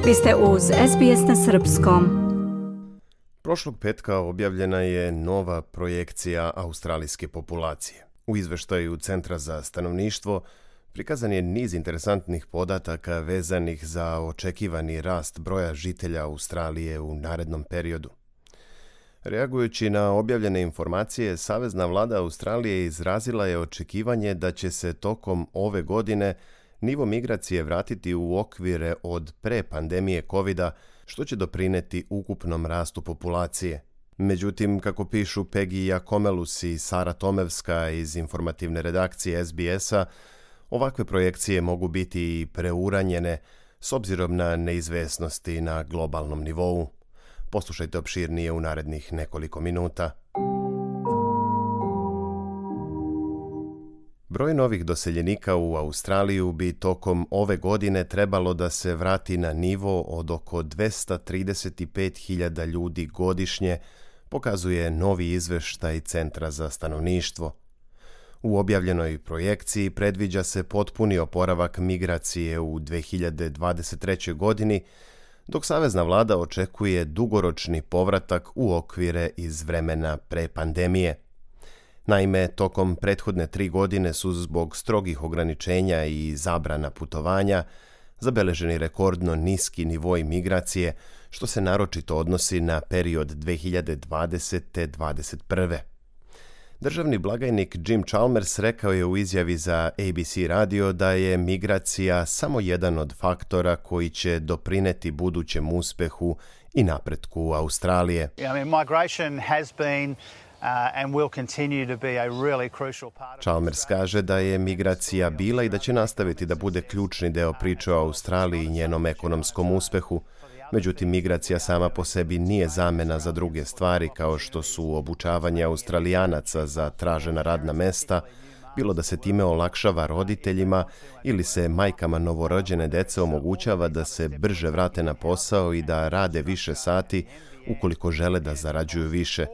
Vi ste uz SBS na srpskom. Prošlog petka objavljena je nova projekcija australijske populacije. U izveštaju Centra za stanovništvo prikazan je niz interesantnih podataka vezanih za očekivani rast broja žitelja Australije u narednom periodu. Reagujući na objavljene informacije, Savezna vlada Australije izrazila je očekivanje da će se tokom ove godine nivo migracije vratiti u okvire od pre pandemije COVID-a, što će doprineti ukupnom rastu populacije. Međutim, kako pišu Peggy Jakomelus i Sara Tomevska iz informativne redakcije SBS-a, ovakve projekcije mogu biti i preuranjene s obzirom na neizvesnosti na globalnom nivou. Poslušajte opširnije u narednih nekoliko minuta. Broj novih doseljenika u Australiju bi tokom ove godine trebalo da se vrati na nivo od oko 235.000 ljudi godišnje, pokazuje novi izveštaj Centra za stanovništvo. U objavljenoj projekciji predviđa se potpuni oporavak migracije u 2023. godini, dok Savezna vlada očekuje dugoročni povratak u okvire iz vremena pre pandemije. Naime, tokom prethodne 3 godine su zbog strogih ograničenja i zabrana putovanja zabeleženi rekordno niski nivoi migracije, što se naročito odnosi na period 2020-2021. Državni blagajnik Jim Chalmers rekao je u izjavi za ABC radio da je migracija samo jedan od faktora koji će doprineti budućem uspehu i napretku Australije. Migration has been and will continue to be a really crucial part. Chalmers kaže da je migracija bila i da će nastaviti da bude ključni deo priče o Australiji i njenom ekonomskom uspehu. Međutim, migracija sama po sebi nije zamena za druge stvari kao što su obučavanje Australijanaca za tražena radna mesta, bilo da se time olakšava roditeljima ili se majkama novorođene dece omogućava da se brže vrate na posao i da rade više sati ukoliko žele da zarađuju više.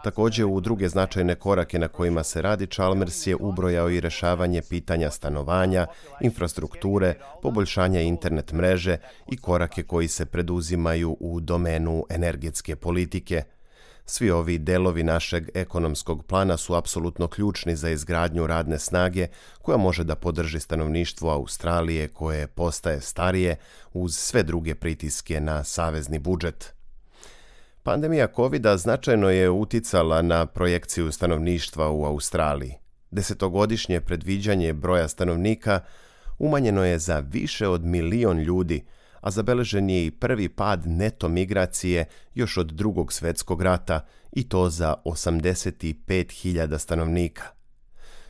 Također, u druge značajne korake na kojima se radi, Chalmers je ubrojao i rešavanje pitanja stanovanja, infrastrukture, poboljšanja internet mreže i korake koji se preduzimaju u domenu energetske politike. Svi ovi delovi našeg ekonomskog plana su apsolutno ključni za izgradnju radne snage koja može da podrži stanovništvo Australije koje postaje starije uz sve druge pritiske na savezni budžet. Pandemija COVID-a značajno je uticala na projekciju stanovništva u Australiji. 10-godišnje predviđanje broja stanovnika umanjeno je za više od 1 milion ljudi, a zabeležen je i prvi pad neto migracije još od Drugog svjetskog rata, i to za 85.000 stanovnika.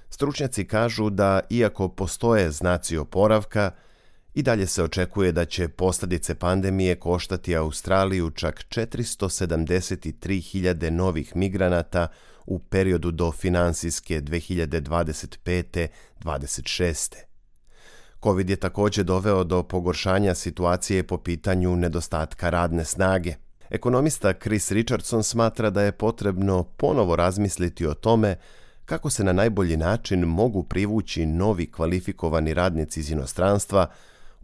Stručnjaci kažu da, iako postoje znaci oporavka, i dalje se očekuje da će posljedice pandemije koštati Australiju čak 473.000 novih migranata u periodu do finansijske 2025-26. COVID je također doveo do pogoršanja situacije po pitanju nedostatka radne snage. Ekonomista Chris Richardson smatra da je potrebno ponovo razmisliti o tome kako se na najbolji način mogu privući novi kvalifikovani radnici iz inostranstva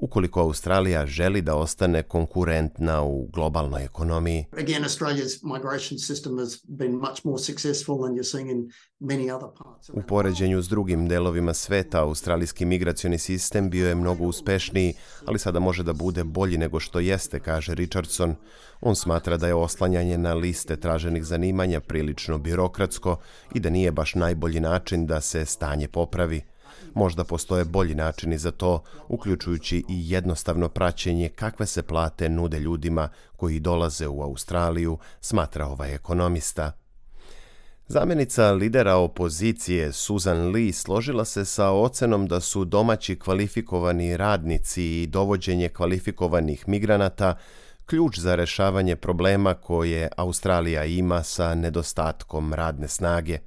ukoliko Australija želi da ostane konkurentna u globalnoj ekonomiji. Again, Australia's migration system has been much more successful than you're seeing in many other parts. U poređenju s drugim delovima sveta, australijski migracioni sistem bio je mnogo uspešniji, ali sada može da bude bolji nego što jeste, kaže Richardson. On smatra da je oslanjanje na liste traženih zanimanja prilično birokratsko i da nije baš najbolji način da se stanje popravi. Možda postoje bolji načini za to, uključujući i jednostavno praćenje kakve se plate nude ljudima koji dolaze u Australiju, smatra ovaj ekonomista. Zamjenica lidera opozicije Susan Lee složila se sa ocenom da su domaći kvalifikovani radnici i dovođenje kvalifikovanih migranata ključ za rešavanje problema koje Australija ima sa nedostatkom radne snage.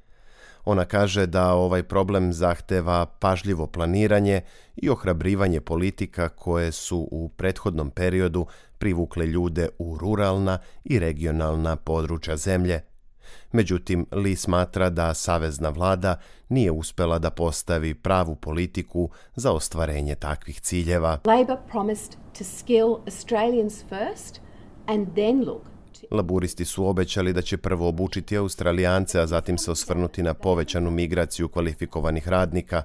Ona kaže da ovaj problem zahteva pažljivo planiranje i ohrabrivanje politika koje su u prethodnom periodu privukle ljude u ruralna i regionalna područja zemlje. Međutim, Lee smatra da savezna vlada nije uspela da postavi pravu politiku za ostvarenje takvih ciljeva. Labor promised to skill Australians first and then look. Laburisti su obećali da će prvo obučiti Australijance, a zatim se osvrnuti na povećanu migraciju kvalifikovanih radnika,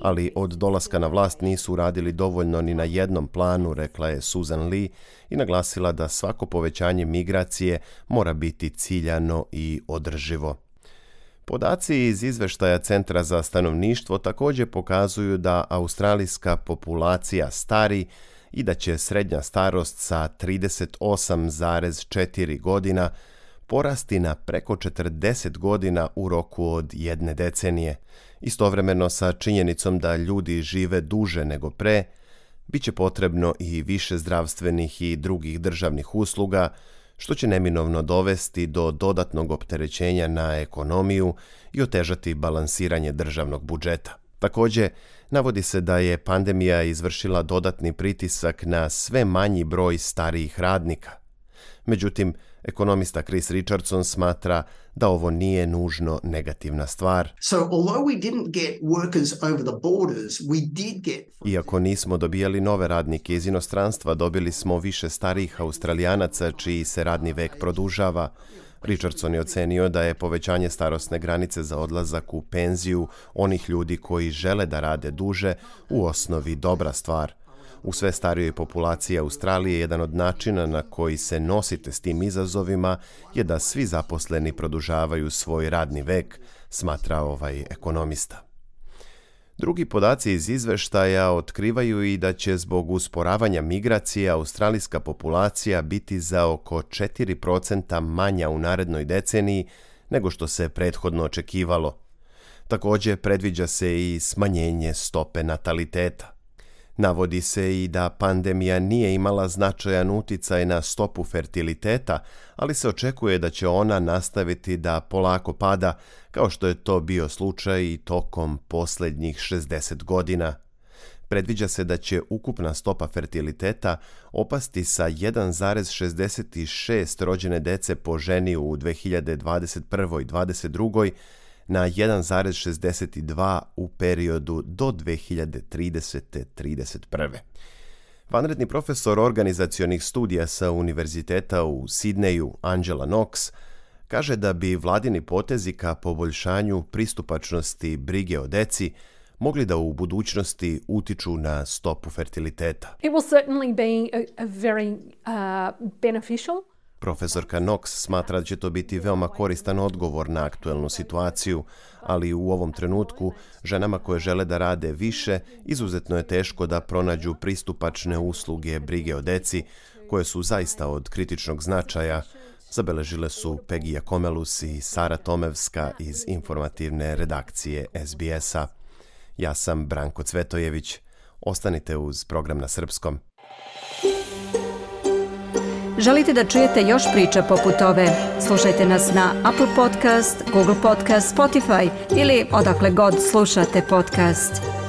ali od dolaska na vlast nisu uradili dovoljno ni na jednom planu, rekla je Susan Lee i naglasila da svako povećanje migracije mora biti ciljano i održivo. Podaci iz izveštaja Centra za stanovništvo također pokazuju da australijska populacija stari i da će srednja starost sa 38,4 godina porasti na preko 40 godina u roku od jedne decenije. Istovremeno sa činjenicom da ljudi žive duže nego pre, bit će potrebno i više zdravstvenih i drugih državnih usluga, što će neminovno dovesti do dodatnog opterećenja na ekonomiju i otežati balansiranje državnog budžeta. Također, navodi se da je pandemija izvršila dodatni pritisak na sve manji broj starijih radnika. Međutim, ekonomista Chris Richardson smatra da ovo nije nužno negativna stvar. Iako nismo dobijali nove radnike iz inostranstva, dobili smo više starijih Australijanaca čiji se radni vek produžava. Richardson je ocenio da je povećanje starosne granice za odlazak u penziju onih ljudi koji žele da rade duže u osnovi dobra stvar. U sve starijoj populaciji Australije jedan od načina na koji se nosite s tim izazovima je da svi zaposleni produžavaju svoj radni vek, smatra ovaj ekonomista. Drugi podaci iz izveštaja otkrivaju i da će zbog usporavanja migracije australijska populacija biti za oko 4% manja u narednoj deceniji nego što se prethodno očekivalo. Također predviđa se i smanjenje stope nataliteta. Navodi se i da pandemija nije imala značajan uticaj na stopu fertiliteta, ali se očekuje da će ona nastaviti da polako pada, kao što je to bio slučaj i tokom posljednjih 60 godina. Predviđa se da će ukupna stopa fertiliteta opasti sa 1,66 rođene dece po ženi u 2021. i 2022. na 1,62 u periodu do 2030-31. Vanredni profesor organizacionih studija sa Univerziteta u Sidneju, Angela Knox, kaže da bi vladini potezi ka poboljšanju pristupačnosti brige o deci mogli da u budućnosti utiču na stopu fertiliteta. It will certainly be a very beneficial. Profesorka Knox smatra da će to biti veoma koristan odgovor na aktuelnu situaciju, ali u ovom trenutku ženama koje žele da rade više izuzetno je teško da pronađu pristupačne usluge brige o deci, koje su zaista od kritičnog značaja, zabeležile su Pegija Komelus i Sara Tomevska iz informativne redakcije SBS-a. Ja sam Branko Cvetojević. Ostanite uz program na srpskom. Želite da čujete još priča poput ove? Slušajte nas na Apple Podcast, Google Podcast, Spotify ili odakle god slušate podcast.